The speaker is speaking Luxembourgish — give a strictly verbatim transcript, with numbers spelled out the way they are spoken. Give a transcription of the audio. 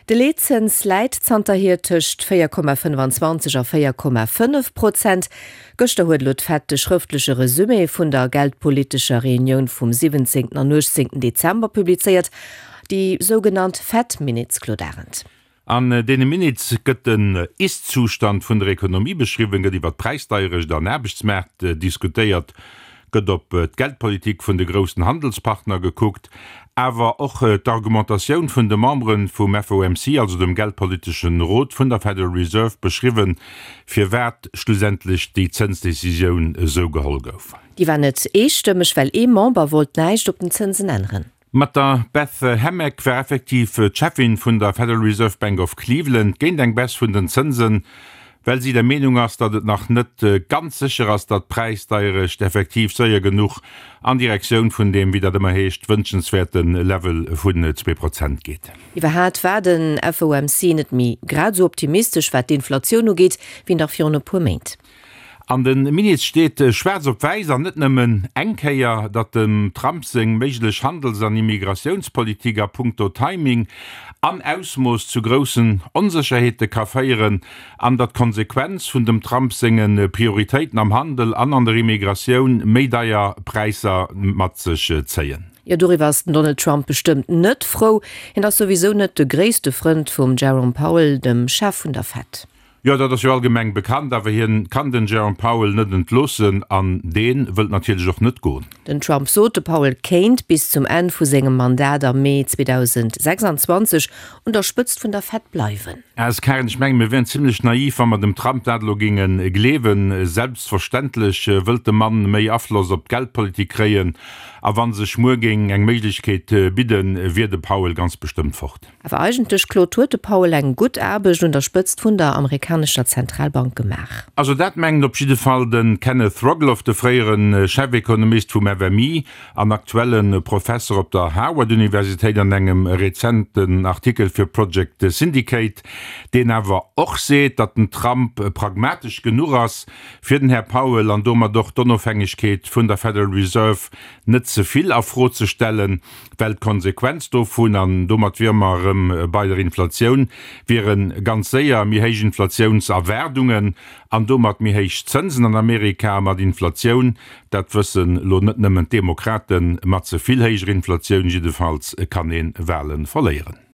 De Leetzëns läit zanterhier tëscht véier Komma fënnfanzwanzeg a véier Komma fënnef Prozent. Gëschter huet elo d'Fed de schrëftleche Resumé vun der geldpolitescher Reunioun vum siwwenzéngten an uechtzéngten Dezember publizéiert, déi sougenannt Fed Minutes, Claude Arend. An deene Minutes gëtt den Ist-Zustand vun der Ekonomie beschriwwen, gëtt iwwer d'Präisdeierecht an Aarbechtsmaart diskutéiert, gëtt op d'Geldpolitik vun de groussen Handelspartner gekuckt, awer och d'Argumentatioun vun de Membere vum F O M C, also dem geldpoliteschen Rot vun der Federal Reserve, beschriwwen, firwat schlussendlech déi Zënsdecisioun esou geholl gouf. Déi war net eestëmmeg, well ee Member wollt näischt op den Zënsen änneren. Mat der Beth Hammack war effektiv d'Cheffin vun der Federal Reserve Bank of Cleveland géint eng Baisse vun den Zënsen, well si der Meenung ass, datt et nach net ganz sécher ass, datt d'Präisdeierecht effektiv séier genuch an Direktioun vun deem, wéi dat ëmmer heescht, wënschenswäerte Level vun zwee Prozent geet. Iwwerhaat war den F O M C net méi grad esou optimistesch, wat d'Inflatioun ugeet, wéi nach virun e puer Méint. An de Minutes steet schwaarz op wäiss, an net nëmmen eng Kéier, datt dem Trump seng méiglech Handels an Immigratiounspolitik a punkto Timing an Ausmooss zu groussen Onsécherheete ka féieren an datt d'Konsequenz vun dem Trump senge Prioritéiten am Handel an an der Immigratioun méi deier Präisser mat sech zéien. Jo, doriwwer ass den Donald Trump bestëmmt net frou. Hien ass souwisou net de gréisste Frënd vum Jerome Powell, dem Chef vun der Fed. Jo, dat ass jo allgemeng bekannt, awer hien kann den Jerome Powell net entloossen an dee wëllt natierlech och net goen. Den Trump sot, de Powell kéint bis zum Enn vu sengem Mandat am Mee zweedausendsechsanzwanzeg un der Spëtzt vun der Fed bleiwen. S. Karen, ech mengen, mir wieren zimlech naiv, wa mer dem Trump dat elo géinge gleewen. Selbstverständlech wëllt de Mann méi Afloss op d'Geldpolitik kréien a wa sech muer géing eng Méiglechkeet bidden, wier de Powell ganz bestëmmt fort. Awer eigentlech, Claude, huet de Powell eng gutt Aarbecht un der Spëtzt vun der amerikanescher Zentralbank gemaach. Also dat mengt op jidde Fall de Kenneth Rogoff, de fréiere Chefekonomist vum F M I an aktuelle Professer op der Harvard-Universitéit an engem rezenten Artikel fir Project Syndicate, deen awer och seet, datt den Trump pragmatesch genuch ass, fir den Här Powell an domat och d'Onofhängegkeet vun der Federal Reserve net ze vill a Fro ze stellen, well d'Konsequenz dovun, an domat wiere mer erëm bei der Inflatioun, wiere ganz séier méi héich Inflatiounserwaardungen an domat méi héich Zënsen an Amerika. Mat Inflatioun, dat wëssen elo net nëmmen d'Demokraten, mat ze vill héijer Inflatioun jiddefalls kann ee Wale verléieren.